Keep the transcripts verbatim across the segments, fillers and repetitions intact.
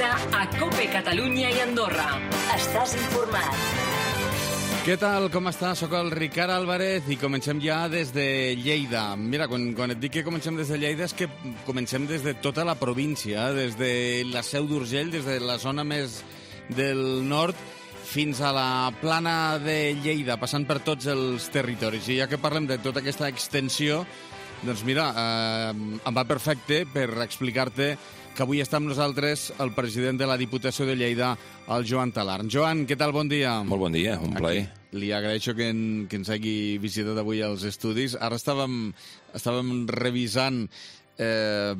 Lleida, a COPE Catalunya i Andorra. Estàs informat. Què tal, com està? Soc el Ricard Álvarez i comencem ja des de Lleida. Mira, quan, quan et dic que comencem des de Lleida és que comencem des de tota la província, des de la Seu d'Urgell, des de la zona més del nord fins a la plana de Lleida, passant per tots els territoris. I ja que parlem de tota aquesta extensió, doncs mira, eh, em va perfecte per explicar-te que avui està amb nosaltres el president de la Diputació de Lleida, el Joan Talarn. Joan, què tal? Bon dia. Molt bon dia, un plaer. Aquí li agraeixo que, en, que ens hagi visitat avui als estudis. Ara estàvem, estàvem revisant... Eh,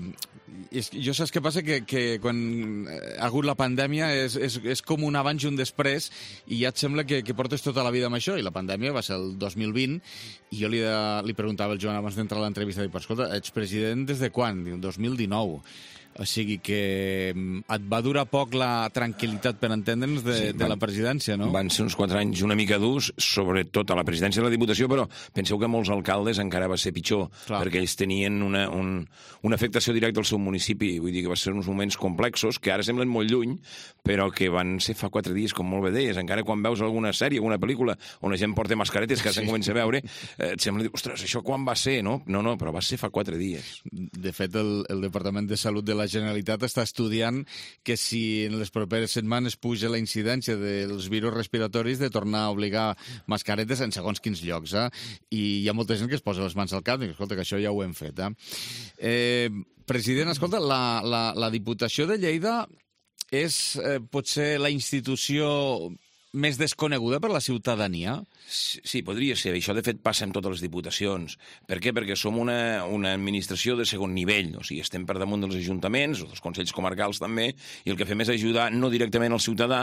és, jo saps què passa? Que, que quan ha hagut la pandèmia és, és, és com un abans i un després i ja et sembla que, que portes tota la vida amb això, i la pandèmia va ser el dos mil vint i jo li, li preguntava al Joan abans d'entrar a l'entrevista, dic, escolta, ets president des de quan? Diu, dos mil dinou. O sigui que et va durar poc la tranquil·litat, per entendre'ns, de, sí, van, de la presidència, no? Van ser uns quatre anys una mica durs, sobretot a la presidència de la Diputació, però penseu que molts alcaldes encara va ser pitjor, clar, perquè ells tenien una, un, una afectació directa al seu municipi. Vull dir que va ser uns moments complexos, que ara semblen molt lluny, però que van ser fa quatre dies, com molt bé deies. Encara quan veus alguna sèrie, alguna pel·lícula, on la gent porta mascaretes, que sí, se'n comença a veure, eh, et sembla dir, ostres, això quan va ser, no? No, no, però va ser fa quatre dies. De fet, el, el Departament de Salut de la Generalitat està estudiant que si en les properes setmanes puja la incidència dels virus respiratoris, de tornar a obligar mascaretes en segons quins llocs. Eh? I hi ha molta gent que es posa les mans al cap i diu, escolta, que això ja ho hem fet. Eh? Eh, president, escolta, la, la, la Diputació de Lleida és eh, potser la institució més desconeguda per la ciutadania? Sí, podria ser. Això, de fet, passa en totes les diputacions. Per què? Perquè som una, una administració de segon nivell. O sigui, estem per damunt dels ajuntaments, dels consells comarcals també, i el que fem és ajudar no directament al ciutadà,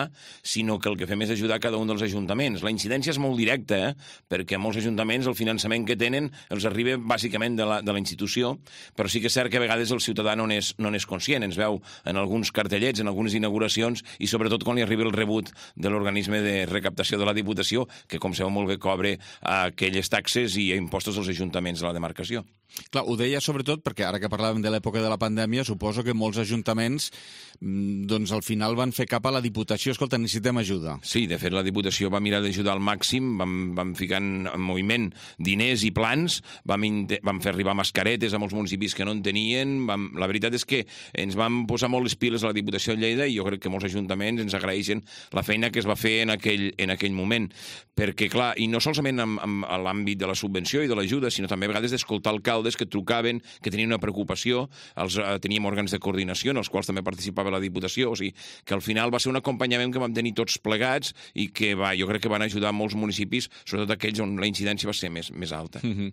sinó que el que fem és ajudar a cada un dels ajuntaments. La incidència és molt directa, eh? Perquè molts ajuntaments el finançament que tenen els arriba bàsicament de la, de la institució, però sí que és cert que a vegades el ciutadà no n'és no n'és conscient. Ens veu en alguns cartellets, en algunes inauguracions, i sobretot quan li arriba el rebut de l'organisme de recaptació de la Diputació, que, com sabeu molt bé, cobre aquelles taxes i impostos als ajuntaments de la demarcació. Clar, ho deia sobretot perquè ara que parlàvem de l'època de la pandèmia, suposo que molts ajuntaments doncs al final van fer cap a la Diputació. Escolta, necessitem ajuda. Sí, de fet la Diputació va mirar d'ajudar al màxim, vam, vam ficar en moviment diners i plans, vam, vam fer arribar mascaretes a molts municipis que no en tenien. Vam, la veritat és que ens vam posar molt les piles a la Diputació de Lleida i jo crec que molts ajuntaments ens agraeixen la feina que es va fer en aquell, en aquell moment. Perquè, clar, i no solament en, en, en l'àmbit de la subvenció i de l'ajuda, sinó també a vegades d'escoltar alcaldes que trucaven, que tenien una preocupació, els, eh, teníem òrgans de coordinació en els quals també participava la Diputació, o sigui que al final va ser un acompanyament que vam tenir tots plegats i que va, jo crec que van ajudar molts municipis, sobretot aquells on la incidència va ser més, més alta. Mm-hmm.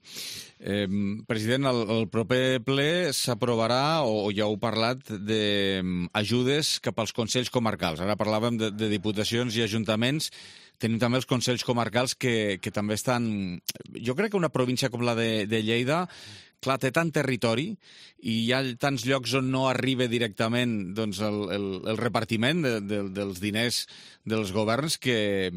eh, president, el, el proper ple s'aprovarà, o, o ja heu parlat, d'ajudes cap als consells comarcals. Ara parlàvem de, de diputacions i ajuntaments. Tenim també els consells comarcals que, que també estan... Jo crec que una província com la de, de Lleida, clar, té tant territori i hi ha tants llocs on no arriba directament doncs, el, el, el repartiment de, de, dels diners dels governs, que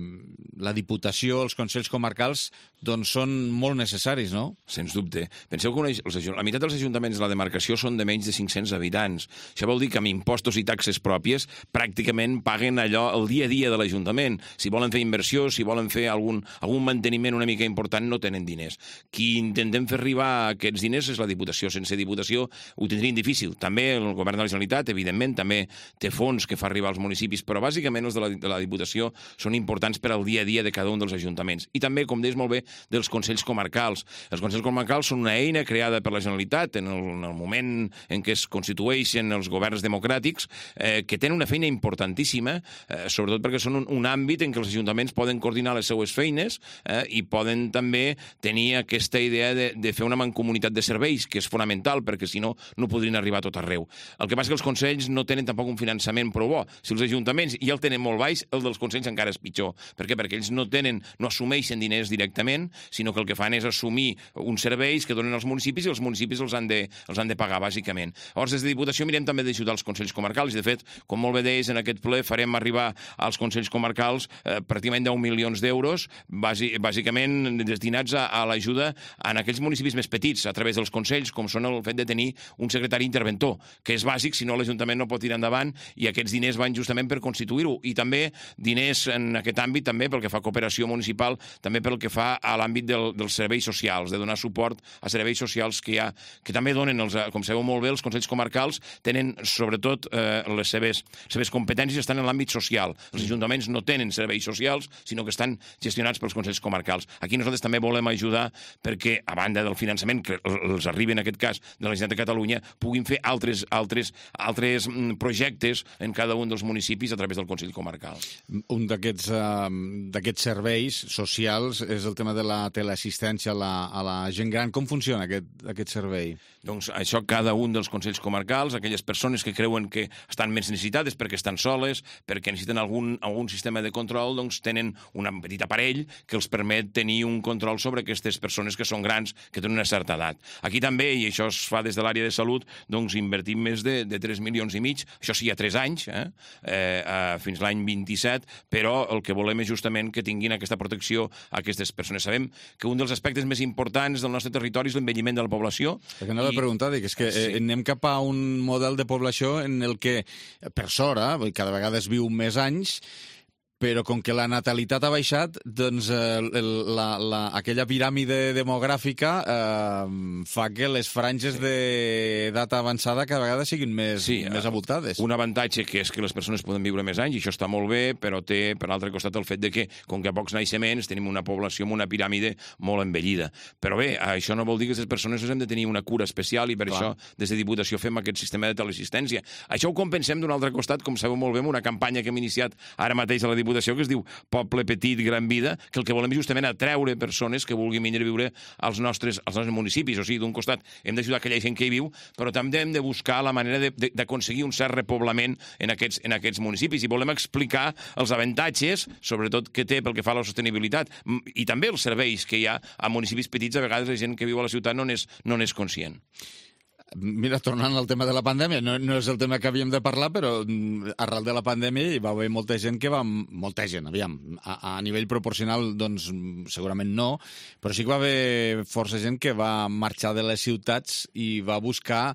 la Diputació, els consells comarcals, doncs són molt necessaris, no? Sens dubte. Penseu que una, els, la meitat dels ajuntaments de la demarcació són de menys de cinc-cents habitants. Això vol dir que amb impostos i taxes pròpies pràcticament paguen allò el dia a dia de l'Ajuntament. Si volen fer inversió, si volen fer algun, algun manteniment una mica important, no tenen diners. Qui intentem fer arribar aquests diners és la Diputació. Sense Diputació ho tindrien difícil. També el govern de la Generalitat, evidentment, també té fons que fa arribar als municipis, però bàsicament els de la, de la Diputació són importants per al dia a dia de cada un dels ajuntaments. I també, com deies molt bé, dels consells comarcals. Els consells comarcals són una eina creada per la Generalitat en el, en el moment en què es constitueixen els governs democràtics, eh, que tenen una feina importantíssima, eh, sobretot perquè són un, un àmbit en què els ajuntaments poden coordinar les seues feines eh, i poden també tenir aquesta idea de, de fer una mancomunitat de serveis, que és fonamental, perquè si no, no podrien arribar a tot arreu. El que passa és que els consells no tenen tampoc un finançament prou bo. Si els ajuntaments ja el tenen molt baix, el dels consells encara és pitjor. Per què? Perquè ells no tenen, no assumeixen diners directament, sinó que el que fan és assumir uns serveis que donen als municipis i els municipis els han de, els han de pagar, bàsicament. Llavors, des de Diputació mirem també d'ajudar els consells comarcals i, de fet, com molt bé deies, en aquest ple farem arribar als consells comarcals eh, pràcticament deu milions d'euros, bàsicament destinats a, a l'ajuda en aquells municipis més petits, a través través dels consells, com són el fet de tenir un secretari interventor, que és bàsic, si no l'Ajuntament no pot tirar endavant, i aquests diners van justament per constituir-ho. I també diners en aquest àmbit, també pel que fa a cooperació municipal, també pel que fa a l'àmbit del, dels serveis socials, de donar suport a serveis socials que hi ha, que també donen, els, com sabeu molt bé, els consells comarcals tenen, sobretot, eh, les seves, seves competències estan en l'àmbit social. Els ajuntaments no tenen serveis socials, sinó que estan gestionats pels consells comarcals. Aquí nosaltres també volem ajudar perquè, a banda del finançament que els arriba, en aquest cas, de la Generalitat de Catalunya, puguin fer altres, altres, altres projectes en cada un dels municipis a través del Consell Comarcal. Un d'aquests uh, d'aquests serveis socials és el tema de la teleassistència a la, a la gent gran. Com funciona aquest, aquest servei? Doncs això, cada un dels consells comarcals, aquelles persones que creuen que estan més necessitades perquè estan soles, perquè necessiten algun, algun sistema de control, doncs tenen un petit aparell que els permet tenir un control sobre aquestes persones que són grans, que tenen una certa edat. Aquí també, i això es fa des de l'àrea de salut, doncs invertim més de, de tres milions i mig, això sí, a tres anys, eh? Eh, eh, fins l'any vint-i-set, però el que volem és justament que tinguin aquesta protecció a aquestes persones. Sabem que un dels aspectes més importants del nostre territori és l'envelliment de la població. Perquè anava a preguntar, dic, és que sí. eh, anem cap a un model de població en el que, per sort, eh, cada vegada es viu més anys, però com que la natalitat ha baixat, doncs eh, la, la, aquella piràmide demogràfica eh, fa que les franges d'edat avançada cada vegada siguin més, sí, més avoltades. Un avantatge que és que les persones poden viure més anys, i això està molt bé, però té, per l'altre costat, el fet de que, com que a pocs naixements, tenim una població amb una piràmide molt envellida. Però bé, això no vol dir que les persones hem de tenir una cura especial, i per Clar. Això, des de Diputació, fem aquest sistema de teleassistència. Això ho compensem d'un altre costat, com sabeu molt bé, amb una campanya que hem iniciat ara mateix a la Diputació, que es diu Poble Petit, Gran Vida, que el que volem és justament atreure persones que vulguin venir a viure als nostres, als nostres municipis. O sigui, d'un costat hem d'ajudar aquella gent que hi viu, però també hem de buscar la manera d'aconseguir un cert repoblament en aquests, en aquests municipis. I volem explicar els avantatges, sobretot que té pel que fa a la sostenibilitat, i també els serveis que hi ha a municipis petits. A vegades la gent que viu a la ciutat no n'és no n'és conscient. Mira, tornant al tema de la pandèmia, no, no és el tema que havíem de parlar, però arrel de la pandèmia hi va haver molta gent que va... Molta gent, aviam, a, a nivell proporcional, doncs, segurament no, però sí que va haver força gent que va marxar de les ciutats i va buscar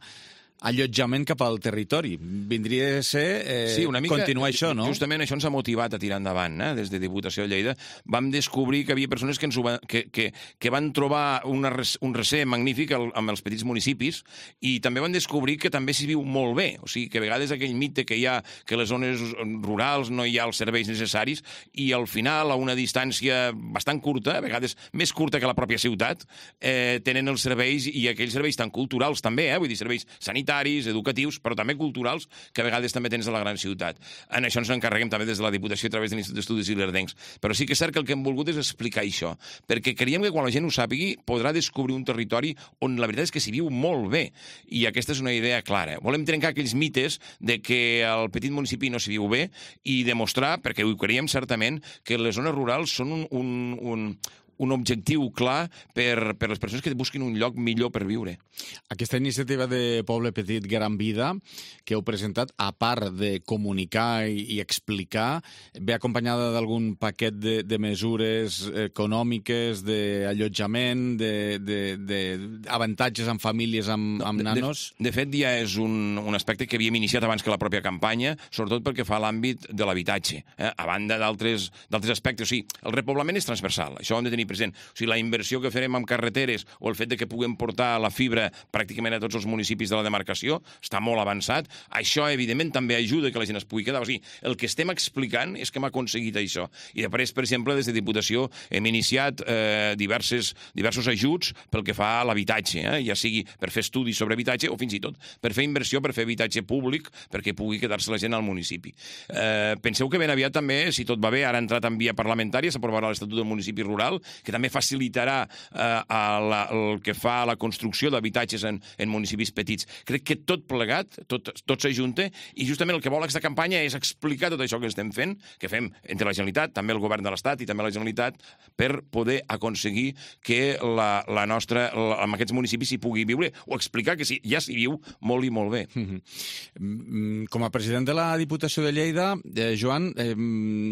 allotjament cap al territori. Vindria a ser eh, sí, una mica, continuar això, no? Justament això ens ha motivat a tirar endavant, eh? Des de Diputació de Lleida. Vam descobrir que havia persones que, ens ho va, que, que, que van trobar una, un recer magnífic al, amb els petits municipis, i també van descobrir que també s'hi viu molt bé. O sigui, que a vegades aquell mite que hi ha que les zones rurals no hi ha els serveis necessaris, i al final, a una distància bastant curta, a vegades més curta que la pròpia ciutat, eh, tenen els serveis, i aquells serveis tan culturals també, eh? Vull dir, serveis sanitaris, educatius, però també culturals, que a vegades també tens a la gran ciutat. En això ens encarreguem també des de la Diputació a través de l'Institut d'Estudis Ilerdencs. Però sí que és cert que el que hem volgut és explicar això, perquè creiem que quan la gent ho sàpigui podrà descobrir un territori on la veritat és que s'hi viu molt bé, i aquesta és una idea clara. Volem trencar aquells mites de que al petit municipi no s'hi viu bé, i demostrar, perquè ho creiem certament, que les zones rurals són un, un, un un objectiu clar per, per les persones que busquin un lloc millor per viure. Aquesta iniciativa de Poble Petit, Gran Vida, que heu presentat, a part de comunicar i, i explicar, ve acompanyada d'algun paquet de, de mesures econòmiques, d'allotjament, d'avantatges amb famílies amb, amb nanos? De, de fet, ja és un, un aspecte que havíem iniciat abans que la pròpia campanya, sobretot perquè fa l'àmbit de l'habitatge, eh? A banda d'altres aspectes. O sigui, el repoblament és transversal, això ho hem de tenir present. O sigui, la inversió que farem amb carreteres o el fet de que puguem portar la fibra pràcticament a tots els municipis de la demarcació està molt avançat. Això, evidentment, també ajuda que la gent es pugui quedar. O sigui, el que estem explicant és que hem aconseguit això. I després, per exemple, des de Diputació hem iniciat eh, diverses, diversos ajuts pel que fa a l'habitatge, eh? Ja sigui per fer estudis sobre habitatge o fins i tot per fer inversió, per fer habitatge públic, perquè pugui quedar-se la gent al municipi. Eh, penseu que ben aviat també, si tot va bé, ara ha entrat en via parlamentària, s'aprovarà l'Estatut del Municipi Rural, que també facilitarà eh, a la, el que fa a la construcció d'habitatges en, en municipis petits. Crec que tot plegat, tot, tot s'ajunta, i justament el que vol aquesta campanya és explicar tot això que estem fent, que fem entre la Generalitat, també el Govern de l'Estat i també la Generalitat, per poder aconseguir que la, la nostra, la, en aquests municipis s'hi pugui viure, o explicar que sí, ja s'hi viu molt i molt bé. Mm-hmm. Com a president de la Diputació de Lleida, eh, Joan, eh,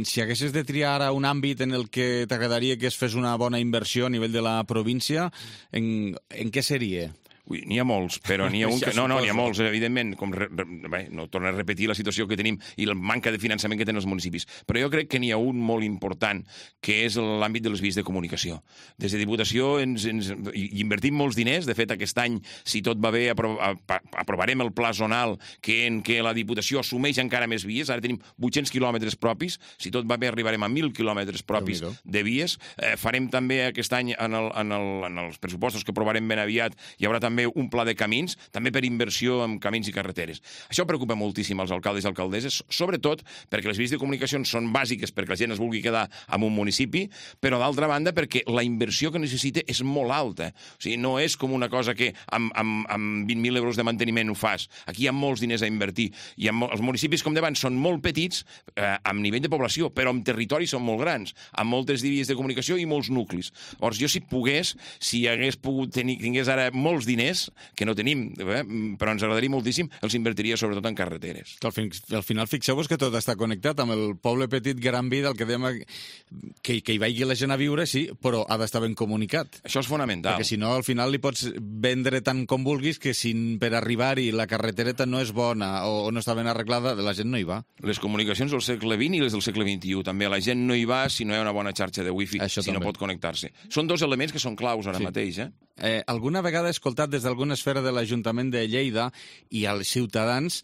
si haguessis de triar ara un àmbit en el que t'agradaria que es fes una bona inversió a nivell de la província, en, en què seria? Ui, n'hi ha molts, però n'hi ha un que... No, no, n'hi ha molts, evidentment. Com re... Bé, no torno a repetir la situació que tenim i la manca de finançament que tenen els municipis. Però jo crec que n'hi ha un molt important, que és l'àmbit dels vies de comunicació. Des de Diputació ens, ens hi invertim molts diners. De fet, aquest any, si tot va bé, apro... aprovarem el pla zonal que en què la Diputació assumeix encara més vies. Ara tenim vuit-cents quilòmetres propis. Si tot va bé, arribarem a mil quilòmetres propis de vies. Eh, farem també aquest any, en, el, en, el, en els pressupostos que aprovarem ben aviat, hi haurà també un pla de camins, també per inversió en camins i carreteres. Això preocupa moltíssim als alcaldes i alcaldesses, sobretot perquè les vies de comunicació són bàsiques perquè la gent es vulgui quedar en un municipi, però d'altra banda perquè la inversió que necessita és molt alta. O sigui, no és com una cosa que amb, amb, amb vint mil euros de manteniment ho fas. Aquí hi ha molts diners a invertir. I amb, els municipis, com d'abans, són molt petits eh, amb nivell de població, però amb territoris són molt grans, amb moltes vies de comunicació i molts nuclis. Llavors, jo si pogués, si hagués pogut tenir, tingués ara molts diners, que no tenim, eh? però ens agradaria moltíssim, els invertiria sobretot en carreteres. Al, fin, al final fixeu-vos que tot està connectat amb el poble petit Gran Vida, el que dèiem que, que hi vagi la gent a viure, sí, però ha d'estar ben comunicat. Això és fonamental. Perquè si no, al final li pots vendre tant com vulguis que si per arribar-hi la carretereta no és bona o, o no està ben arreglada, la gent no hi va. Les comunicacions del segle vint i les del segle vint-i-u també. La gent no hi va si no hi ha una bona xarxa de wifi, Això si també. no pot connectar-se. Són dos elements que són claus ara sí. mateix, eh? Eh, alguna vegada he escoltat des d'alguna esfera de l'Ajuntament de Lleida i als ciutadans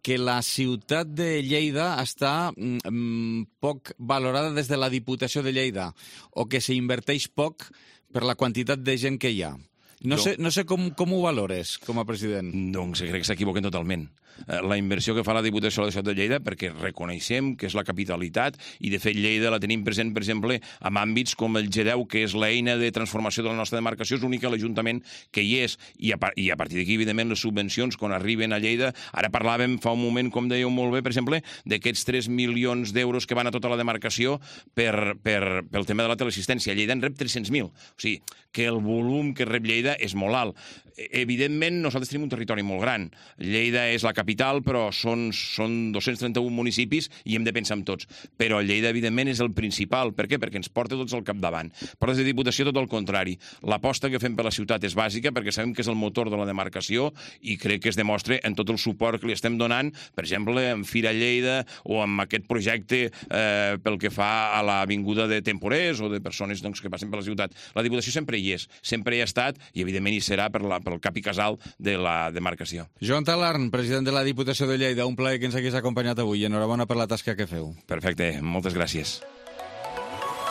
que la ciutat de Lleida està mm, poc valorada des de la Diputació de Lleida o que s'inverteix poc per la quantitat de gent que hi ha. No, no sé, no sé com, com ho valores, com a president. Doncs crec que s'equivoquen totalment. La inversió que fa la Diputació de la Ciutat de Lleida, perquè reconeixem que és la capitalitat, i de fet Lleida la tenim present, per exemple, en àmbits com el G deu, que és l'eina de transformació de la nostra demarcació, és l'únic l'Ajuntament que hi és, i a, i a partir d'aquí, evidentment, les subvencions, quan arriben a Lleida, ara parlàvem fa un moment, com dèieu molt bé, per exemple, d'aquests tres milions d'euros que van a tota la demarcació per, per, pel tema de la teleassistència. Lleida en rep tres-cents mil. O sigui, que el volum que rep Lleida és molt alt. Evidentment, nosaltres tenim un territori molt gran. Lleida és la capital, però són, són dos-cents trenta-un municipis i hem de pensar en tots. Però Lleida, evidentment, és el principal. Per què? Perquè ens porta tots al capdavant. Però des de Diputació, tot el contrari. L'aposta que fem per la ciutat és bàsica perquè sabem que és el motor de la demarcació i crec que es demostra en tot el suport que li estem donant, per exemple, en Fira Lleida o amb aquest projecte eh, pel que fa a l'avinguda de temporers o de persones doncs, que passen per la ciutat. La Diputació sempre hi és, sempre hi ha estat i, evidentment, hi serà per la pel cap i casal de la demarcació. Joan Talarn, president de la Diputació de Lleida, un plaer que ens hagués acompanyat avui. Enhorabona per la tasca que feu. Perfecte, moltes gràcies.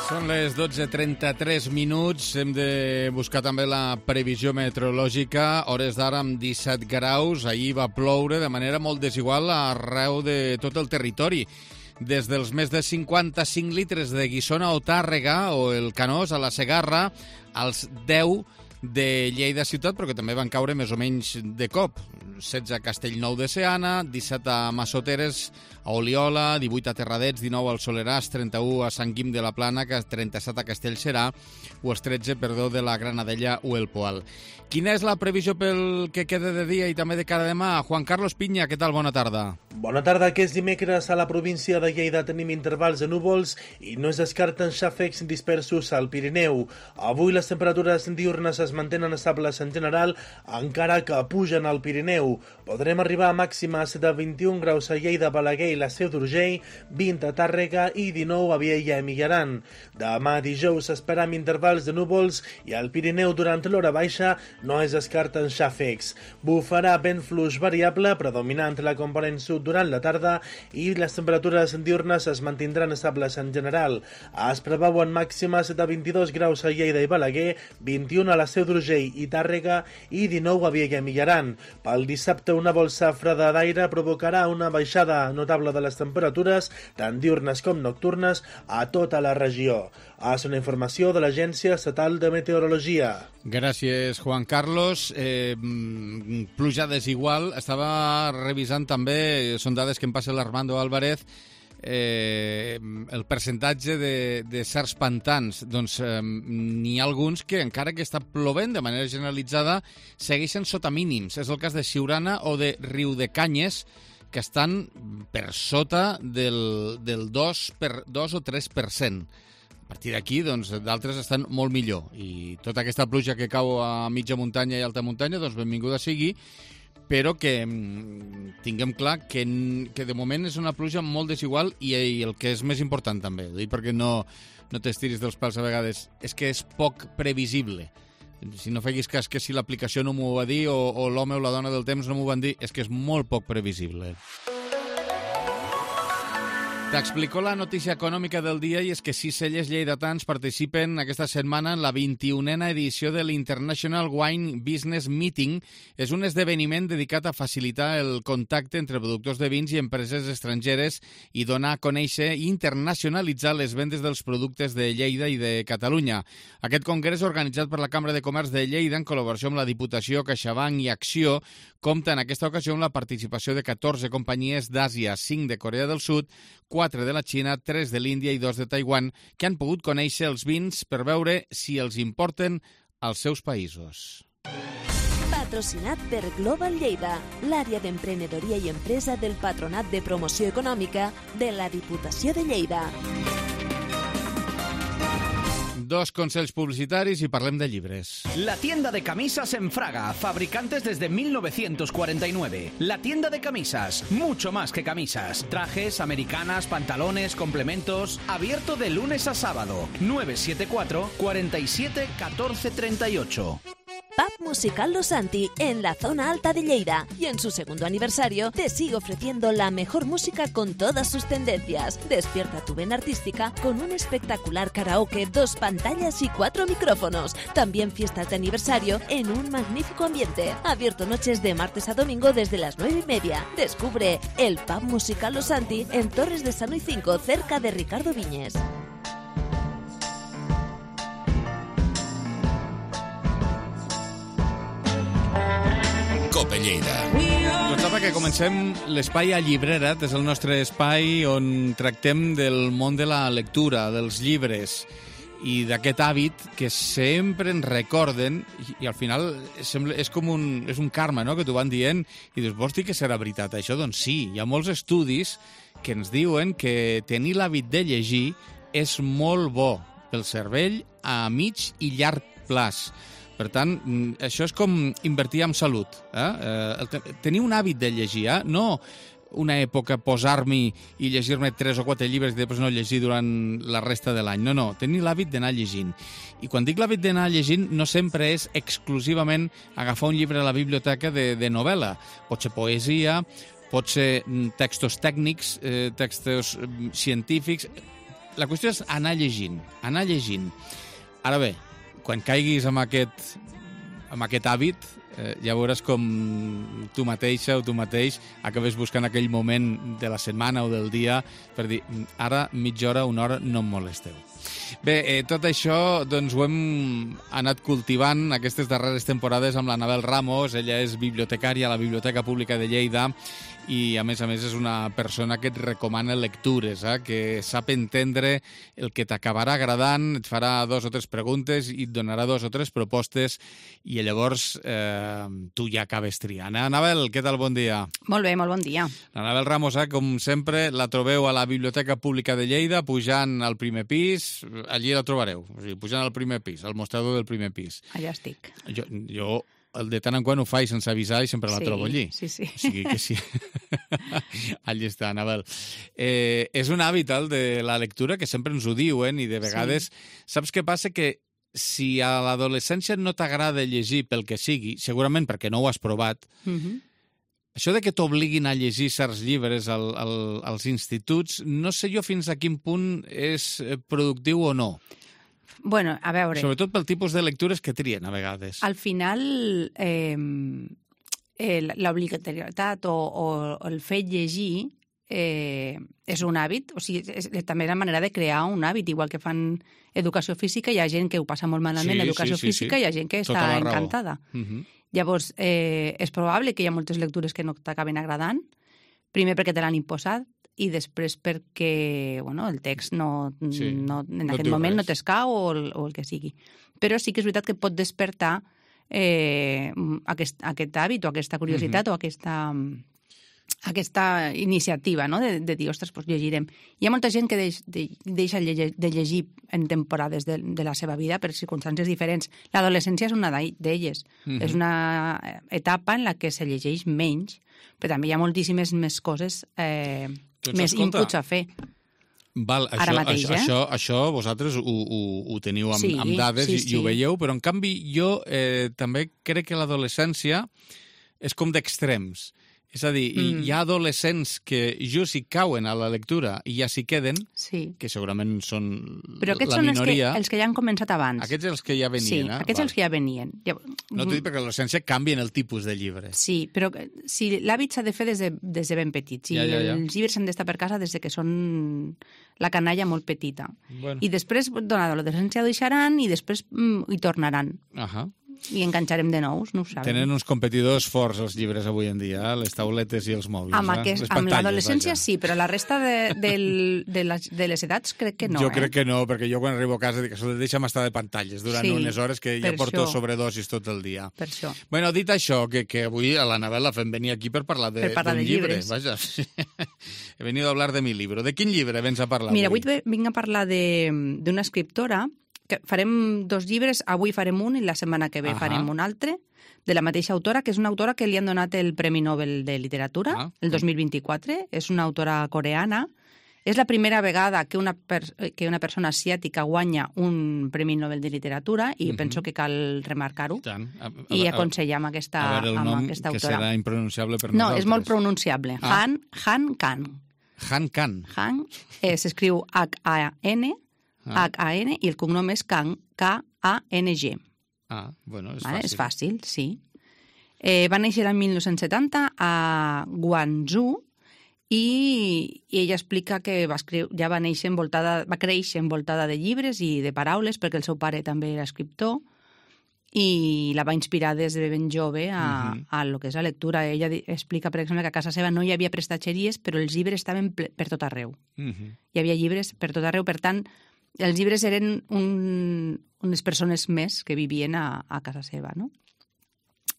Són les dotze trenta-tres minuts. Hem de buscar també la previsió meteorològica. Hores d'ara amb disset graus. Ahir va ploure de manera molt desigual arreu de tot el territori. Des dels més de cinquanta-cinc litres de Guissona o Tàrrega o el Canós a la Segarra als deu de Lleida ciutat, però que també van caure més o menys de cop. setze a Castellnou de Seana, disset a Massoteres, a Oliola, divuit a Terradets, dinou al Soleràs, trenta-u a Sant Guim de la Plana, trenta-set a Castellserà o els tretze, perdó, de la Granadella o el Poal. Quina és la previsió pel que queda de dia i també de cara a demà? Juan Carlos Piña, què tal? Bona tarda. Bona tarda. Aquest dimecres a la província de Lleida tenim intervals de núvols i no es descarten xàfecs dispersos al Pirineu. Avui les temperatures diurnes es mantenen estables en general, encara que pugen al Pirineu. Podrem arribar a màximes de vint-i-un graus a Lleida, Balaguer i la Seu d'Urgell, vint a Tàrrega i dinou a Viella i Millaran. Demà dijous esperam intervals de núvols i al Pirineu durant l'hora baixa no es descarten xàfecs. Bufarà vent fluix variable, predominant la component sud durant la tarda, i les temperatures diurnes es mantindran estables en general. Es preveuen màximes de vint-i-dos graus a Lleida i Balaguer, vint-i-un a la Seu d'Urgell i Tàrrega i dinou a Viella i Millaran. Pel dissabte, una bolsa freda d'aire provocarà una baixada notable de les temperatures, tant diurnes com nocturnes, a tota la regió. És una informació de l'Agència Estatal de Meteorologia. Gràcies, Juan Carlos. Eh, pluja desigual. Estava revisant també, són dades que em passa l'Armando Álvarez, eh, el percentatge de, de certs pantans. Doncs eh, n'hi ha alguns que, encara que està plovent de manera generalitzada, segueixen sota mínims. És el cas de Siurana o de Riudecanyes, que estan per sota del, del dos, per, dos o tres per cent. partir d'aquí, doncs, d'altres estan molt millor. I tota aquesta pluja que cau a mitja muntanya i alta muntanya, doncs benvinguda sigui, però que mm, tinguem clar que, que de moment és una pluja molt desigual i, i el que és més important també, ho dic perquè no, no t'estiris dels pals a vegades, és que és poc previsible. Si no feguis cas que si l'aplicació no m'ho va dir o, o l'home o la dona del temps no m'ho van dir, és que és molt poc previsible. T'explico la notícia econòmica del dia i és que sis cellers lleidatans participen aquesta setmana en la vint-i-unena edició de l'International Wine Business Meeting. És un esdeveniment dedicat a facilitar el contacte entre productors de vins i empreses estrangeres i donar a conèixer i internacionalitzar les vendes dels productes de Lleida i de Catalunya. Aquest congrés, organitzat per la Cambra de Comerç de Lleida en col·laboració amb la Diputació, CaixaBank i Acció, compta en aquesta ocasió amb la participació de catorze companyies d'Àsia, cinc de Corea del Sud, quatre de la Xina, tres de l'Índia i dos de Taiwan, que han pogut conèixer els vins per veure si els importen als seus països. Patrocinat per Global Lleida, l'àrea d'emprenedoria i empresa del Patronat de Promoció Econòmica de la Diputació de Lleida. Dos consells publicitaris i parlem de llibres. La tienda de camisas en Fraga, fabricantes desde mil novecientos cuarenta y nueve. La tienda de camisas, mucho más que camisas. Trajes, americanas, pantalones, complementos. Abierto de lunes a sábado. nueve siete cuatro, cuatro siete, uno cuatro tres ocho. Pub Musical Los Santi, en la zona alta de Lleida. Y en su segundo aniversario te sigue ofreciendo la mejor música con todas sus tendencias. Despierta tu vena artística con un espectacular karaoke, dos pantallas y cuatro micrófonos. También fiestas de aniversario en un magnífico ambiente. Abierto noches de martes a domingo desde las nueve y media. Descubre el Pub Musical Los Santi en Torres de Sanoy cinco, cerca de Ricardo Viñes. Cope Lleida. Doncs apa, que comencem l'espai a Llibrera't, és el nostre espai on tractem del món de la lectura, dels llibres i d'aquest hàbit que sempre ens recorden i, i al final sembla, és com un, és un karma, no?, que t'ho van dient i dius, vols dir que serà veritat això? Doncs sí, hi ha molts estudis que ens diuen que tenir l'hàbit de llegir és molt bo pel cervell a mig i llarg plaç. Per tant, això és com invertir en salut. Eh? Tenir un hàbit de llegir, eh? No una època posar-m'hi i llegir-me tres o quatre llibres i després no llegir durant la resta de l'any. No, no, tenir l'hàbit d'anar llegint. I quan dic l'hàbit d'anar llegint no sempre és exclusivament agafar un llibre a la biblioteca de, de novel·la. Pot ser poesia, pot ser textos tècnics, eh, textos científics. La qüestió és anar llegint, anar llegint. Ara bé, quan caiguis amb aquest, amb aquest hàbit, eh, ja veuràs com tu mateixa o tu mateix acabes buscant aquell moment de la setmana o del dia per dir, ara mitja hora, una hora, no em molesteu. Bé, eh, tot això doncs, ho hem anat cultivant aquestes darreres temporades amb l'Anabel Ramos. Ella és bibliotecària a la Biblioteca Pública de Lleida i, a més a més, és una persona que et recomana lectures, eh? Que sap entendre el que t'acabarà agradant, et farà dos o tres preguntes i et donarà dos o tres propostes i llavors eh, tu ja acabes triant. Eh? Anabel, què tal? Bon dia. Molt bé, molt bon dia. L'Anabel Ramos, eh, com sempre, la trobeu a la Biblioteca Pública de Lleida, pujant al primer pis, allí la trobareu, o sigui, pujant al primer pis, al mostrador del primer pis. Allà estic. Jo, jo el de tant en quant ho faig sense avisar i sempre la sí, trobo allí. Sí, sí. O sigui que sí. Allí està, Anabel. Eh, és un hàbit, el de la lectura, que sempre ens ho diuen i de vegades... Sí. Saps què passa? Que si a l'adolescència no t'agrada llegir pel que sigui, segurament perquè no ho has provat, Uh-huh. això de que t'obliguin a llegir certs llibres al, al, als instituts, no sé jo fins a quin punt és productiu o no. Bueno, a veure... Sobretot pel tipus de lectures que trien, a vegades. Al final, eh, l'obligatorietat o, o el fet llegir eh, és un hàbit, o sigui, és, és també la manera de crear un hàbit, igual que fan educació física, hi ha gent que ho passa molt malament, sí, educació sí, sí, física, sí. Hi ha gent que Tota està la raó. encantada. Uh-huh. Llavors, eh, és probable que hi ha moltes lectures que no t'acaben agradant, primer perquè te l'han imposat, i després perquè bueno, el text no, sí, no, en no aquest moment res. no t'escau o, el, o el que sigui. Però sí que és veritat que pot despertar eh, aquest, aquest hàbit o aquesta curiositat uh-huh. o aquesta aquesta iniciativa, no?, de, de dir, ostres, doncs llegirem. Hi ha molta gent que deix, de, deixa de llegir en temporades de, de la seva vida per circumstàncies diferents. L'adolescència és una d'elles. Mm-hmm. És una etapa en la que se llegeix menys, però també hi ha moltíssimes més coses, eh, doncs, més escolta, inputs a fer. Val, això, Ara mateix, això, eh? això, això vosaltres ho, ho, ho teniu amb, sí, amb dades sí, i, sí. i ho veieu, però en canvi jo eh, també crec que l'adolescència és com d'extrems. És a dir, mm. hi ha adolescents que just hi cauen a la lectura i ja s'hi queden, sí. que segurament són Però aquests la són minoria. Els que, els que ja han començat abans. Aquests els que ja venien, sí, eh? aquests Val. els que ja venien. Ja... No t'ho dic perquè a l'adolescència canvien el tipus de llibres. Sí, però si l'hàbit s'ha de fer des de, des de ben petits. I ja, ja, ja. els llibres s'han d'estar per casa des de que són la canalla molt petita. Bueno. I després, doncs, l'adolescència ho deixaran i després mm, hi tornaran. Ahà. I enganxarem de nous, no ho sabem. Tenen uns competidors forts els llibres avui en dia, eh? Les tauletes i els mòbils. Amb, eh? aquest, les amb l'adolescència vaja. Sí, però la resta de, de, de, les, de les edats crec que no. Jo eh? crec que no, perquè jo quan arribo a casa dic que deixa'm estar de pantalles durant sí, unes hores que ja porto això. sobredosis tot el dia. Per això. Bueno, dit això, que, que avui a l'Anabel la fem venir aquí per parlar d'un llibre. Llibres. Vaja, he venido a hablar de mi libro. De quin llibre vens a parlar Mira, avui? avui vinc a parlar d'una escriptora que farem dos llibres, avui farem un i la setmana que ve Ahà. farem un altre, de la mateixa autora, que és una autora que li han donat el Premi Nobel de Literatura ah. el dos mil vint-i-quatre. És una autora coreana. És la primera vegada que una, per, que una persona asiàtica guanya un Premi Nobel de Literatura i uh-huh. penso que cal remarcar-ho i aconsellar amb aquesta, a veure, el amb nom aquesta que autora. serà impronunciable per no, nosaltres. No, és molt pronunciable. Ah. Han, Han Kan. Han Kan. Han eh, s'escriu H A N, ah. H A N, i el cognom és Kang, K A N G. Ah, bueno, és vale? fàcil. És fàcil, sí. Eh, va néixer el mil nou-cents setanta a Guangzhou i, i ella explica que va, escriure, ja va, néixer envoltada, va créixer envoltada de llibres i de paraules, perquè el seu pare també era escriptor, i la va inspirar des de ben jove a, uh-huh. a lo que és la lectura. Ella explica, per exemple, que a casa seva no hi havia prestatgeries, però els llibres estaven per tot arreu. Uh-huh. Hi havia llibres per tot arreu, per tant, els llibres eren un, unes persones més que vivien a, a casa seva, no?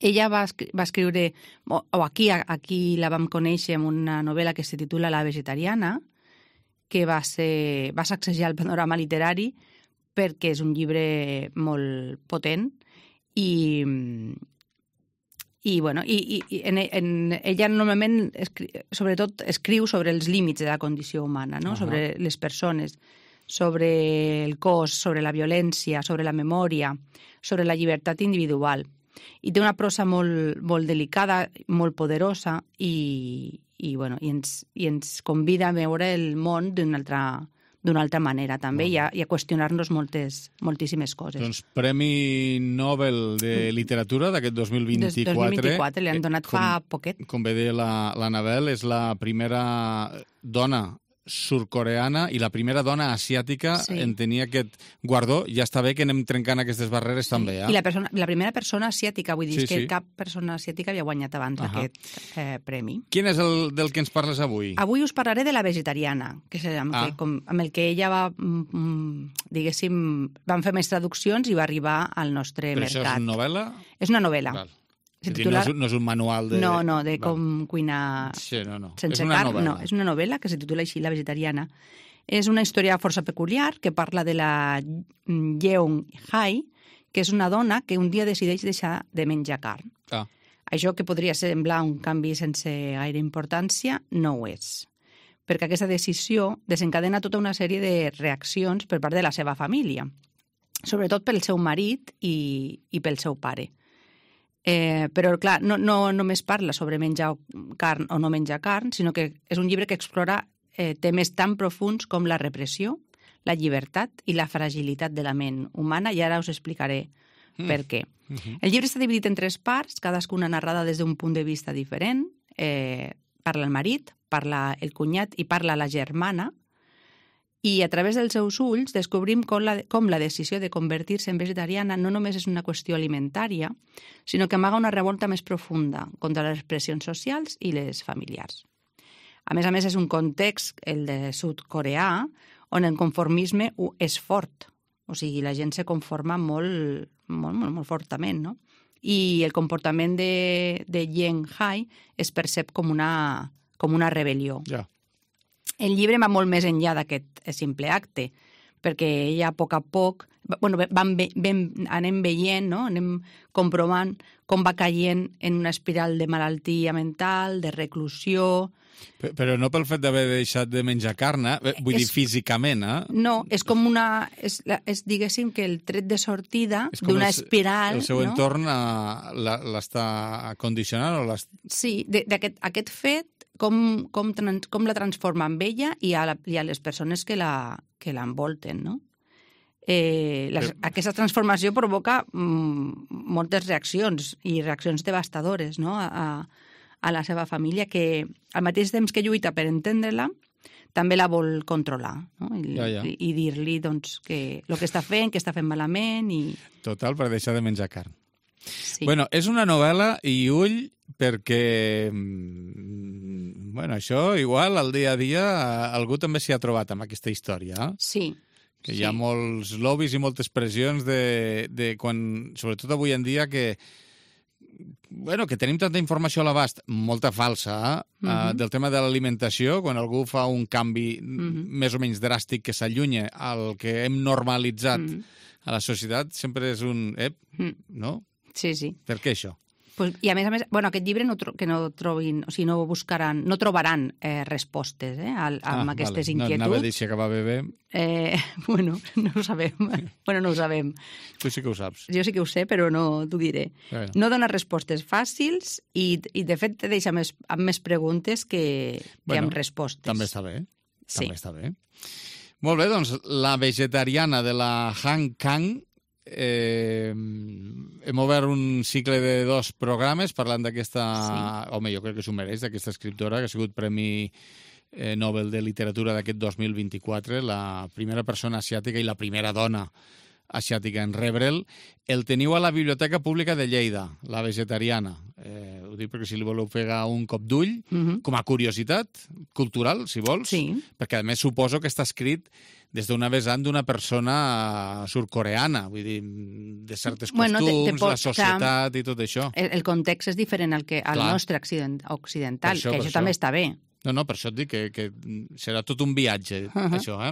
Ella va, va escriure, o, o aquí, aquí la vam conèixer amb una novel·la que se titula La vegetariana, que va, ser, va sacsejar el panorama literari perquè és un llibre molt potent i, i, bueno, i, i en, en, ella normalment, escri, sobretot, escriu sobre els límits de la condició humana, no? Uh-huh. Sobre les persones, sobre el cos, sobre la violència, sobre la memòria, sobre la llibertat individual. I té una prosa molt, molt delicada, molt poderosa i, i, bueno, i, ens, i ens convida a veure el món d'una altra, d'una altra manera també i a, i a qüestionar-nos moltes, moltíssimes coses. Doncs Premi Nobel de Literatura d'aquest dos mil vint-i-quatre. dos mil vint-i-quatre, li han donat com, fa poquet. Com bé deia l'Anabel, és la primera dona surcoreana i la primera dona asiàtica sí. en tenir aquest guardó. Ja està bé que anem trencant aquestes barreres sí. també. Eh? I la, persona, la primera persona asiàtica, vull dir, sí, que sí. cap persona asiàtica havia guanyat abans uh-huh. aquest eh, premi. Quin és el del que ens parles avui? Avui us parlaré de La vegetariana, que és amb, ah. que, com, amb el que ella va, mm, diguéssim, van fer més traduccions i va arribar al nostre Però mercat. Però això és novel·la? És una novel·la. Val. Titular... No, és, no és un manual de... No, no, de Val. com cuinar sí, no, no. sense és una carn. novel·la. No, és una novel·la que se titula així, La vegetariana. És una història força peculiar que parla de la Yeon Hai, que és una dona que un dia decideix deixar de menjar carn. Ah. Això que podria semblar un canvi sense gaire importància, no ho és. Perquè aquesta decisió desencadena tota una sèrie de reaccions per part de la seva família, sobretot pel seu marit i, i pel seu pare. Eh, però, clar, no, no només parla sobre menjar carn o no menjar carn, sinó que és un llibre que explora eh, temes tan profuns com la repressió, la llibertat i la fragilitat de la ment humana, i ara us explicaré mm. per què. Mm-hmm. El llibre està dividit en tres parts, cadascuna narrada des d'un punt de vista diferent. Eh, parla el marit, parla el cunyat i parla la germana, i a través dels seus ulls descobrim com la, com la decisió de convertir-se en vegetariana no només és una qüestió alimentària, sinó que amaga una revolta més profunda contra les pressions socials i les familiars. A més a més, és un context, el de sud-coreà, on el conformisme és fort. O sigui, la gent se conforma molt, molt, molt, molt fortament, no? I el comportament de, de Yeon Hai es percep com una, com una rebel·lió. Ja. El llibre va molt més enllà d'aquest simple acte, perquè ella a poc a poc, bueno, van, van, anem veient, no? Anem comprovant com va caient en una espiral de malaltia mental, de reclusió. Però no pel fet d'haver deixat de menjar carn, eh? Vull és, dir, físicament, eh? No, és com una... És, és diguéssim, que el tret de sortida d'una espiral... El seu no? entorn l'està condicionant o l'està... Sí, d'aquest aquest fet, com, com, trans, com la transforma en ella i a, la, i a les persones que la que l'envolten, no? Eh, la, Però... Aquesta transformació provoca mm, moltes reaccions i reaccions devastadores, no?, a, a a la seva família, que al mateix temps que lluita per entendre-la, també la vol controlar, no? I, ja, ja. i, i dir-li doncs, que el que està fent, que està fent malament... I... Total, per deixar de menjar carn. Sí. Bueno, és una novel·la i ull perquè, bueno, això igual al dia a dia algú també s'hi ha trobat amb aquesta història. Eh? Sí. Que sí. Hi ha molts lobbies i moltes pressions de, de quan, sobretot avui en dia, que bueno, que tenim tanta informació a l'abast, molta falsa, eh? uh-huh. uh, del tema de l'alimentació, quan algú fa un canvi uh-huh. més o menys dràstic que s'allunya al que hem normalitzat uh-huh. a la societat, sempre és un... Ep, uh-huh. no? Sí, sí. Per què això? Pues, I a més a més, bueno, aquest llibre no tro que no trobin, o sigui, no buscaran, no trobaran eh, respostes eh, a, a ah, aquestes vale. inquietuds. No, anava a dir si acabava bé. Eh, bueno, no ho sabem. bueno, no ho sabem. Tu sí que ho saps. Jo sí que ho sé, però no t'ho diré. Bueno. No dona respostes fàcils i, i de fet, te deixa més, amb més preguntes que, bueno, que amb respostes. També està bé. Sí. També està bé. Molt bé, doncs, La vegetariana de la Han Kang. Eh, hem obert un cicle de dos programes parlant d'aquesta... Sí. Home, jo crec que s'ho mereix, d'aquesta escriptora, que ha sigut Premi eh, Nobel de Literatura d'aquest dos mil vint-i-quatre, la primera persona asiàtica i la primera dona asiàtica en rebre'l. El teniu a la Biblioteca Pública de Lleida, La vegetariana. Eh, ho dic perquè si li voleu pegar un cop d'ull, uh-huh. com a curiositat cultural, si vols, sí. perquè a més suposo que està escrit des d'una vessant d'una persona surcoreana, vull dir, de certes bueno, costums, te, te pot, la societat i tot això. El, el context és diferent al, que, al Clar. nostre occident, occidental, això, que això, això també està bé. No, no, per això et dic que, que serà tot un viatge, uh-huh. això, eh?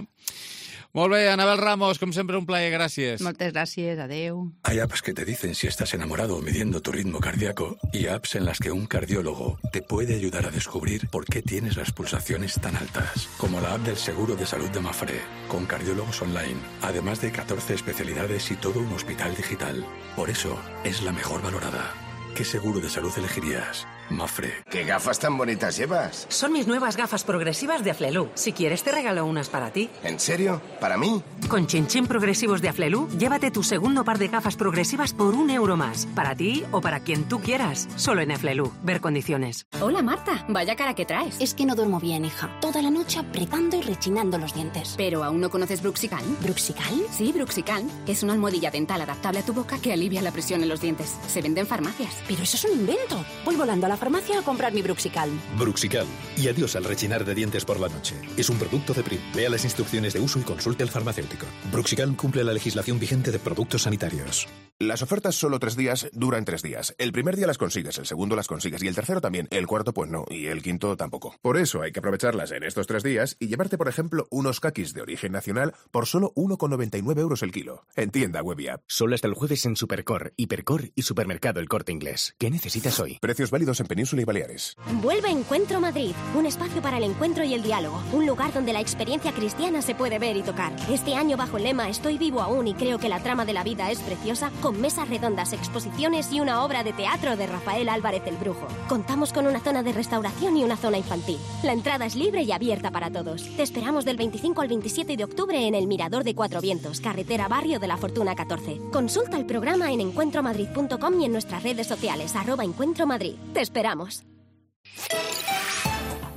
Molt bé, Anabel Ramos, com sempre un plaer, gràcies. Moltes gràcies, adeu. Hay apps que te dicen si estás enamorado midiendo tu ritmo cardíaco y apps en las que un cardiólogo te puede ayudar a descubrir por qué tienes las pulsaciones tan altas, como la app del seguro de salud de Mafre, con cardiólogos online, además de catorce especialidades y todo un hospital digital. Por eso es la mejor valorada. ¿Qué seguro de salud elegirías? Mafre. ¿Qué gafas tan bonitas llevas? Son mis nuevas gafas progresivas de Aflelu. Si quieres te regalo unas para ti. ¿En serio? ¿Para mí? Con Chinchín Progresivos de Aflelu, llévate tu segundo par de gafas progresivas por un euro más. Para ti o para quien tú quieras. Solo en Aflelu. Ver condiciones. Hola Marta, vaya cara que traes. Es que no duermo bien, hija. Toda la noche apretando y rechinando los dientes. ¿Pero aún no conoces Bruxical? ¿Bruxical? Sí, Bruxical. Es una almohadilla dental adaptable a tu boca que alivia la presión en los dientes. Se vende en farmacias. Pero eso es un invento. Voy volando a la farmacia a comprar mi Bruxical. Bruxical. Y adiós al rechinar de dientes por la noche. Es un producto de Prim. Lea las instrucciones de uso y consulte al farmacéutico. Bruxical cumple la legislación vigente de productos sanitarios. Las ofertas solo tres días duran tres días. El primer día las consigues, el segundo las consigues y el tercero también. El cuarto pues no y el quinto tampoco. Por eso hay que aprovecharlas en estos tres días y llevarte, por ejemplo, unos kakis de origen nacional por solo uno con noventa y nueve euros el kilo. En tienda web y app. Solo hasta el jueves en Supercor, Hipercor y Supermercado El Corte Inglés. ¿Qué necesitas hoy? Precios válidos en Península y Baleares. Vuelve Encuentro Madrid, un espacio para el encuentro y el diálogo, un lugar donde la experiencia cristiana se puede ver y tocar. Este año bajo el lema Estoy vivo aún y creo que la trama de la vida es preciosa, con mesas redondas, exposiciones y una obra de teatro de Rafael Álvarez el Brujo. Contamos con una zona de restauración y una zona infantil. La entrada es libre y abierta para todos. Te esperamos del veinticinco al veintisiete de octubre en el Mirador de Cuatro Vientos, carretera Barrio de la Fortuna catorce. Consulta el programa en encuentro madrid punto com y en nuestras redes sociales, arroba Encuentro Madrid. Te esperamos.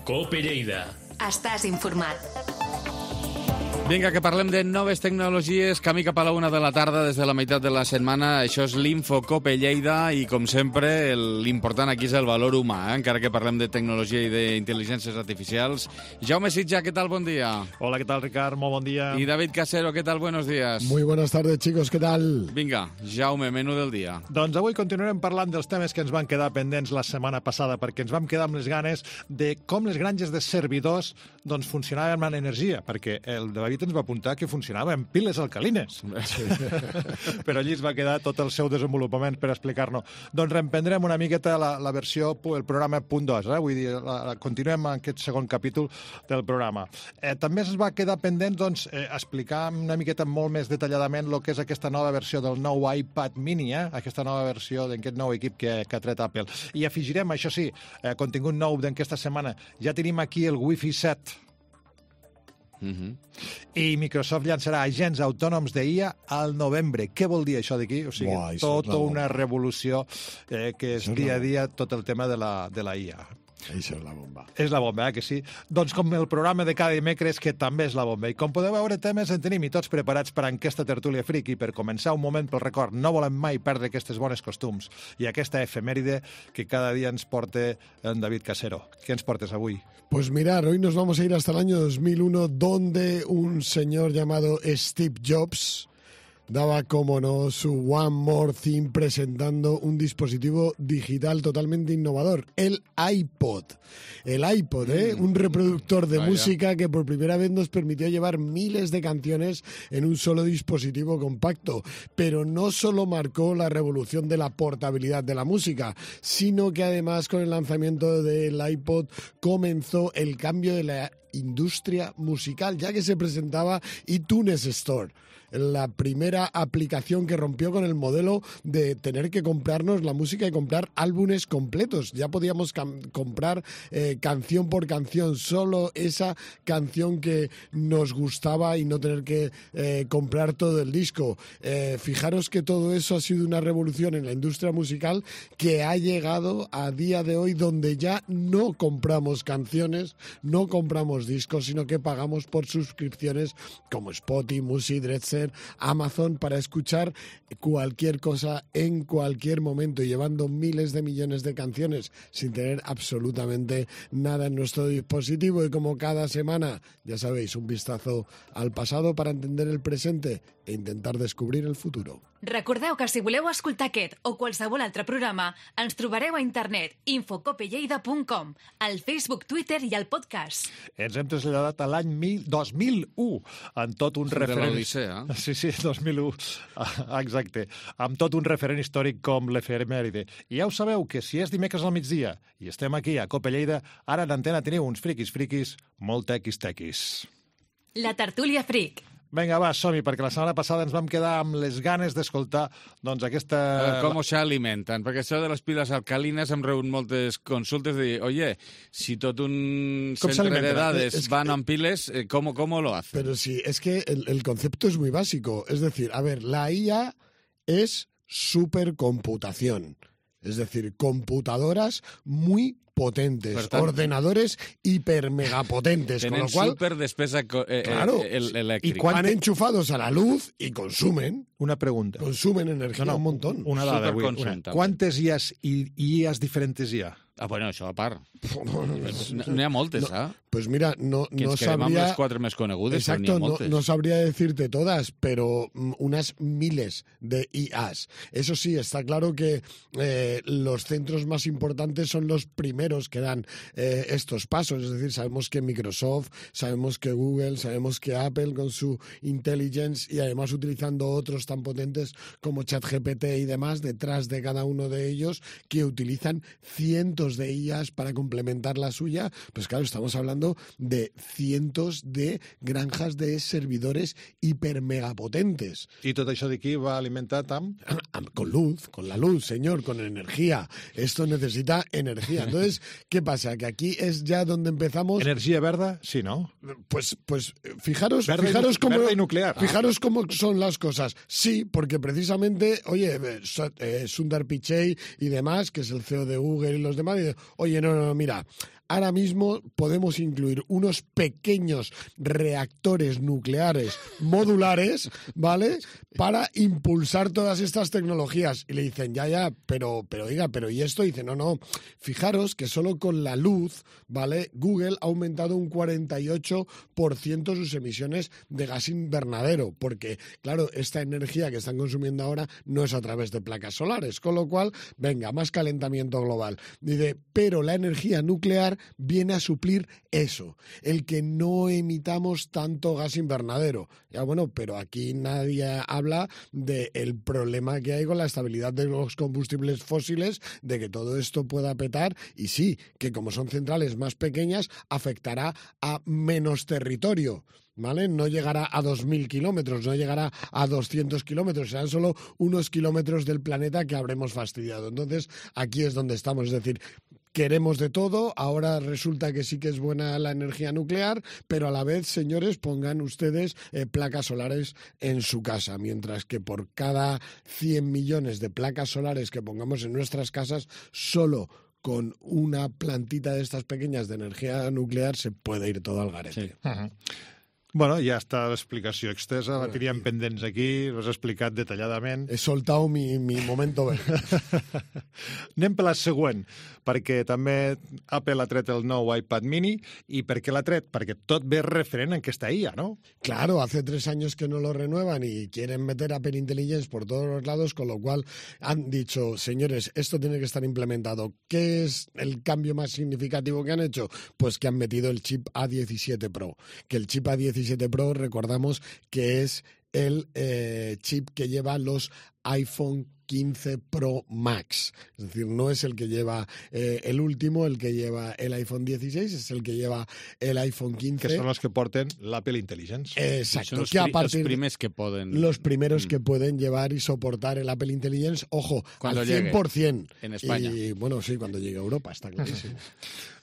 Cope Lleida. Estàs informat. Vinga, que parlem de noves tecnologies, camí cap a la una de la tarda des de la meitat de la setmana. Això és l'Infocope Lleida i, com sempre, l'important aquí és el valor humà, eh? Encara que parlem de tecnologia i d'intel·ligències artificials. Jaume Sitja, què tal? Bon dia. Hola, ¿qué tal, Ricard? Muy buen día. Y David Casero, ¿qué tal? Buenos días. Muy buenas tardes, chicos, ¿qué tal? Vinga, Jaume, menú del dia. Doncs avui continuarem parlant dels temes que ens van quedar pendents la setmana passada, perquè ens vam quedar amb les ganes de com les granges de servidors doncs, funcionaven amb l'energia, perquè el David ens va apuntar que funcionava amb piles alcalines. Sí. Però allí es va quedar tot el seu desenvolupament per explicar-nos. Doncs reemprendrem una miqueta la, la versió, el programa punt dos, eh? Vull dir, la, la, continuem en aquest segon capítol del programa. Eh, també es va quedar pendent doncs, eh, explicar una miqueta molt més detalladament el que és aquesta nova versió del nou iPad mini, eh? Aquesta nova versió d'aquest nou equip que, que ha tret Apple. I afegirem, això sí, eh, contingut nou d'aquesta setmana. Ja tenim aquí el Wi-Fi set. Uh-huh. I Microsoft llançarà agents autònoms d'I A al novembre. Què vol dir això d'aquí? O sigui, Buah, tota una revolució eh, que és dia a dia tot el tema de la, de la I A. Això és la bomba. És la bomba, eh, que sí? Doncs com el programa de cada dimecres, que també és la bomba. I com podeu veure, temes en tenim i tots preparats per a aquesta tertúlia friki. Per començar, un moment pel record. No volem mai perdre aquestes bones costums. I aquesta efemèride que cada dia ens porta en David Casero. Què ens portes avui? Pues mirar, hoy nos vamos a ir hasta el año dos mil uno, donde un señor llamado Steve Jobs daba, como no, su One More Thing presentando un dispositivo digital totalmente innovador, el iPod. El iPod, ¿eh? Un reproductor de Vaya. música que por primera vez nos permitió llevar miles de canciones en un solo dispositivo compacto. Pero no solo marcó la revolución de la portabilidad de la música, sino que además con el lanzamiento del iPod comenzó el cambio de la industria musical, ya que se presentaba iTunes Store, la primera aplicación que rompió con el modelo de tener que comprarnos la música y comprar álbumes completos. Ya podíamos comprar eh, canción por canción, solo esa canción que nos gustaba y no tener que eh, comprar todo el disco. Eh, fijaros que todo eso ha sido una revolución en la industria musical que ha llegado a día de hoy, donde ya no compramos canciones, no compramos discos, sino que pagamos por suscripciones como Spotify, Music, Deezer, Amazon, para escuchar cualquier cosa en cualquier momento, y llevando miles de millones de canciones sin tener absolutamente nada en nuestro dispositivo. Y como cada semana, ya sabéis, un vistazo al pasado para entender el presente e intentar descobrir el futuro. Recordeu que si voleu escoltar aquest o qualsevol altre programa, ens trobareu a internet infocopelleida punt com, al Facebook, Twitter i al podcast. Ens hem traslladat a l'any dos mil u, amb tot un referent... De l'Odissea. Sí, sí, dos mil u, exacte. Amb tot un referent històric com l'efemèride. I ja ho sabeu, que si és dimecres al migdia i estem aquí a Cope Lleida, ara en antena teniu uns friquis friquis molt tequis-tequis. La tertúlia fric. Vinga, va, som-hi, perquè la setmana passada ens vam quedar amb les ganes d'escoltar doncs, aquesta... A veure, com s'alimenten? Perquè això de les piles alcalines hem rebut moltes consultes de dir, oye, si tot un centre de dades es van que... amb piles, ¿cómo, ¿cómo lo hacen? Pero sí, es que el, el concepto es muy básico. Es decir, a ver, la I A es supercomputación. Es decir, computadoras muy potentes, tant, ordenadores hipermegapotentes, con lo cual... super despesa eh, claro, el, eléctrica. Y van enchufados a la luz y consumen... Una pregunta. Consumen energía no, no, un montón. Una dada, avui, una. Quantes I As i I As diferentes hi ha? Ah, bueno, això a part. N'hi ha moltes, no, eh? Pues mira, no, que no ens quedem sabría... amb les quatre més conegudes, Exacto, però n'hi ha moltes. No, no sabría decirte todas, pero unas miles de I As. Eso sí, está claro que eh, los centros más importantes son los primeros que dan eh, estos pasos. Es decir, sabemos que Microsoft, sabemos que Google, sabemos que Apple con su intelligence y además utilizando otros tan potentes como ChatGPT y demás detrás de cada uno de ellos, que utilizan cientos de I As para complementar la suya. Pues claro, estamos hablando de cientos de granjas de servidores hipermegapotentes. ¿Y tot això d'aquí va alimentat amb? Con luz, con la luz, señor, con energía. Esto necesita energía. Entonces, ¿qué pasa? Que aquí es ya donde empezamos... ¿Energía verde? Sí, ¿no? Pues, pues fijaros, verde fijaros, y, cómo, verde y nuclear. Fijaros ah. cómo son las cosas. Sí, porque precisamente, oye, eh, Sundar Pichai y demás, que es el C E O de Google y los demás, y dice, oye, no, no, mira, ahora mismo podemos incluir unos pequeños reactores nucleares modulares, ¿vale?, para impulsar todas estas tecnologías. Y le dicen, ya, ya, pero, pero oiga, pero ¿y esto? Y dice, no, no, fijaros que solo con la luz, ¿vale?, Google ha aumentado un cuarenta y ocho por ciento sus emisiones de gas invernadero, porque, claro, esta energía que están consumiendo ahora no es a través de placas solares, con lo cual, venga, más calentamiento global. Dice, pero la energía nuclear viene a suplir eso, el que no emitamos tanto gas invernadero. Ya bueno, pero aquí nadie habla del problema que hay con la estabilidad de los combustibles fósiles, de que todo esto pueda petar, y sí, que como son centrales más pequeñas, afectará a menos territorio, ¿vale? No llegará a dos mil kilómetros, no llegará a doscientos kilómetros, serán solo unos kilómetros del planeta que habremos fastidiado. Entonces, aquí es donde estamos, es decir, queremos de todo, ahora resulta que sí que es buena la energía nuclear, pero a la vez, señores, pongan ustedes eh, placas solares en su casa, mientras que por cada cien millones de placas solares que pongamos en nuestras casas, solo con una plantita de estas pequeñas de energía nuclear se puede ir todo al garete. Sí. Uh-huh. Bueno, ja està l'explicació extensa, la teníem pendents aquí, l'has explicat detalladament. He soltat mi, mi momento bé. Anem per la següent, perquè també Apple ha tret el nou iPad mini. I per què l'ha tret? Perquè tot ve referent en aquesta I A, ¿no? Claro, hace tres años que no lo renuevan y quieren meter Apple Intelligence por todos los lados, con lo cual han dicho, señores, esto tiene que estar implementado. ¿Qué es el cambio más significativo que han hecho? Pues que han metido el chip A diecisiete Pro, que el chip A diecisiete Pro, recordamos que es el eh, chip que lleva los iPhone quince Pro Max. Es decir, no es el que lleva eh, el último, el que lleva el iPhone dieciséis, es el que lleva el iPhone quince. Que son los que porten l'Apple Intelligence. Exacto. Son los, que a pri partir los primeros que pueden... Los primeros mm. que pueden llevar y soportar el Apple Intelligence, ojo, cuando al cien por ciento. Llegue, en España. Y bueno, sí, cuando llegue a Europa, está clarísimo.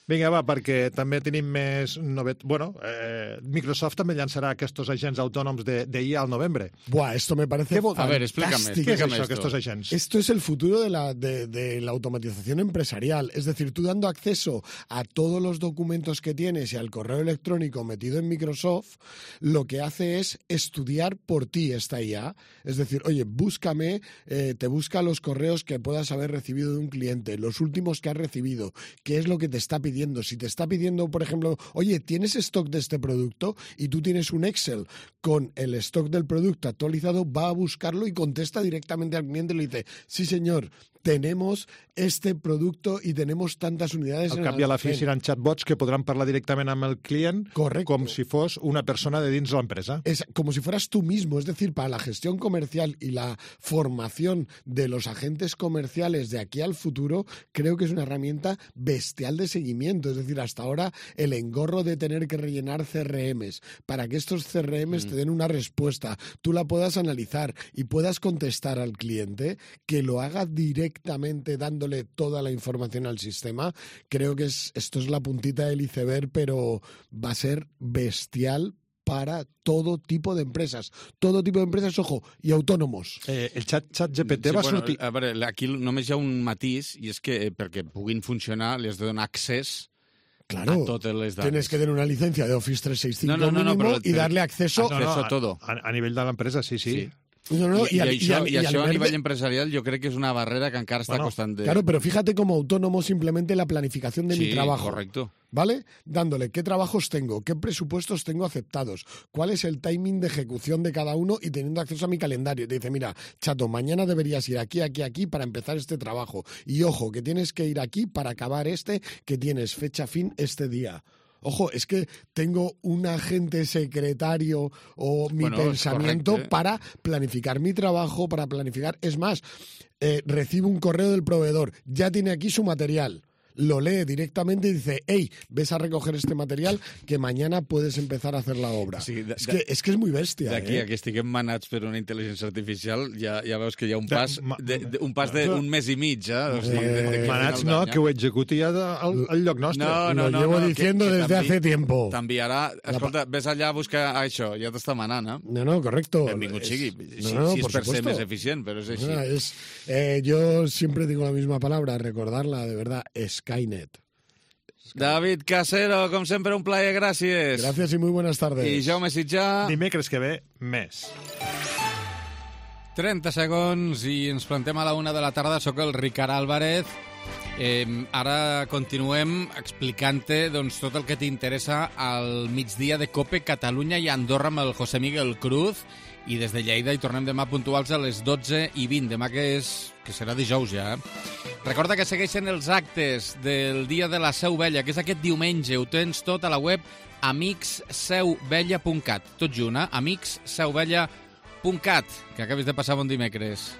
Vinga, va, perquè també tenim més novet... Bueno, eh, Microsoft també llançarà aquests agents autònoms de, de I A al novembre. Buah, esto me parece A ver, explícame. ¿Qué es eso, esto? que estos agents? Esto es el futuro de la, de, de la automatización empresarial. Es decir, tú dando acceso a todos los documentos que tienes y al correo electrónico metido en Microsoft, lo que hace es estudiar por ti esta I A. Es decir, oye, búscame, eh, te busca los correos que puedas haber recibido de un cliente, los últimos que has recibido, qué es lo que te está pidiendo. Si te está pidiendo, por ejemplo, oye, ¿tienes stock de este producto? Y tú tienes un Excel con el stock del producto actualizado, va a buscarlo y contesta directamente al cliente y le dice, sí señor, tenemos este producto i tenemos tantes unidades. Al cap i a la fi seran chatbots que podran parlar directament amb el client. Correcto. Com si fos una persona de dins de l'empresa. Es como si fueras tú mismo, es decir, para la gestión comercial y la formación de los agentes comerciales de aquí al futuro, creo que es una herramienta bestial de seguimiento. Es decir, hasta ahora el engorro de tener que rellenar C R Ms para que estos C R Ms mm. te den una respuesta, tú la puedas analizar y puedas contestar al cliente, que lo haga directamente directamente dándole toda la información al sistema. Creo que es, esto es la puntita del iceberg, pero va a ser bestial para todo tipo de empresas. Todo tipo de empresas, ojo, i autònomos. Eh, el xat, xat G P T sí, va bueno, sortir... A veure, aquí només hi ha un matís, i és que eh, perquè puguin funcionar li has de donar accés Claro, a totes les dades. Tienes que tener una licencia de Office trescientos sesenta y cinco no, no, no, mínimo no, y darle acceso, no, no, no, a todo. A, a nivell de l'empresa, sí, sí. sí. No, no, I, y, i, al, això, y, i al, això y a al nivell verde... empresarial jo crec que és una barrera que encara està bueno, costant de... Claro, pero fíjate como autónomo simplemente la planificación de sí, mi trabajo. Correcto. ¿Vale? Dándole qué trabajos tengo, qué presupuestos tengo aceptados, cuál es el timing de ejecución de cada uno y teniendo acceso a mi calendario. Te dice, mira, chato, mañana deberías ir aquí, aquí, aquí para empezar este trabajo. Y ojo, que tienes que ir aquí para acabar este, que tienes fecha fin este día. Ojo, es que tengo un agente secretario o mi bueno, pensamiento correcto, ¿eh? para planificar mi trabajo, para planificar... Es más, eh, recibo un correo del proveedor, ya tiene aquí su material. Lo lee directamente y dice, hey, ves a recoger este material que mañana puedes empezar a hacer la obra. Sí, de, es, que, es que es muy bèstia. D'aquí eh? a que estiguem manats per una intel·ligència artificial, ja, ja veus que hi ha un pas de, de, un pas d'un mes i mig. Eh? O sigui, de, de, de manats no, que ho executi ja al, al lloc nostre. No, no, Lo no, llevo no, diciendo que, que desde hace tiempo. T'enviarà, escolta, ves allà a buscar això, ja t'està manant, eh? No, no, correcto. Benvingut sigui, no, si, no, si és per supuesto. ser més eficient, però és així. No, es, eh, yo siempre digo la misma palabra, recordarla, de verdad, Skynet. David Casero, com sempre, un plaer, gràcies. Gracias y muy buenas tardes. I Jaume Sitjà. Dimecres que ve, més. trenta segons i ens plantem a la una de la tarda. Soc el Ricard Álvarez. Eh, ara continuem explicant-te doncs, tot el que t'interessa al migdia de COPE Catalunya i Andorra amb el José Miguel Cruz. I des de Lleida hi tornem demà puntuals a les dotze i vint. Demà que, és, que serà dijous ja. Eh? Recorda que segueixen els actes del Dia de la Seu Vella, que és aquest diumenge. Ho tens tot a la web amics seu vella punt cat. Tot junt, eh? amics seu vella punt cat. Que acabis de passar bon dimecres.